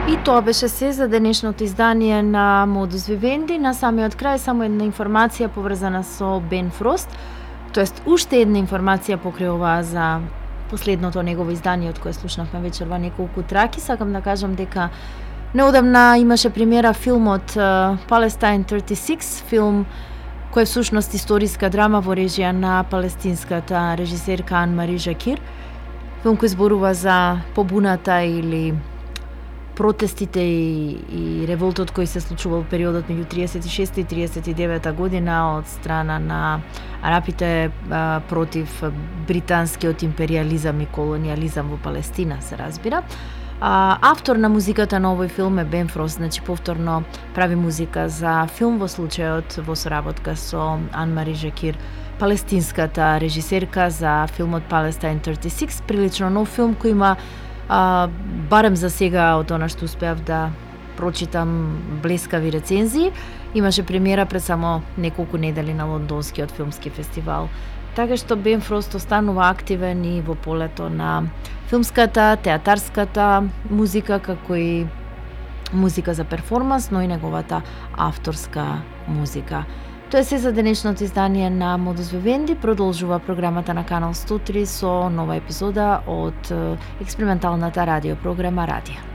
И тоа беше се за денешното издание на Modus Vivendi. На самиот крај само една информација поврзана со Ben Frost, тоест уште една информација покрај оваа за последното негово издание од кое слушнавме вечерва неколку траки. Сакам да кажам дека неодамна имаше премиера филмот Palestine 36, филм кој е всушност историска драма во режија на палестинската режисерка Ан-Мари Жакир. Филм кој зборува за побуната или протестите и револтот кој се случувал во периодот меѓу 36 и 39 година од страна на арапите против британскиот империализам и колониализам во Палестина, се разбира. Автор на музиката на овој филм е Ben Frost, значи повторно прави музика за филм во случајот во соработка со Ан-Мари Жакир, палестинската режисерка за филмот Palestine 36, прилично нов филм кој има барем за сега од она што успеав да прочитам блескави рецензии, имаше премиера пред само неколку недели на Лондонскиот филмски фестивал. Така што Ben Frost останува активен и во полето на филмската, театарската музика, како и музика за перформанс, но и неговата авторска музика. Тоа е се за денешното издание на Modus Vivendi. Продолжува програмата на Канал 103 со нова епизода од експерименталната радиопрограма Радио.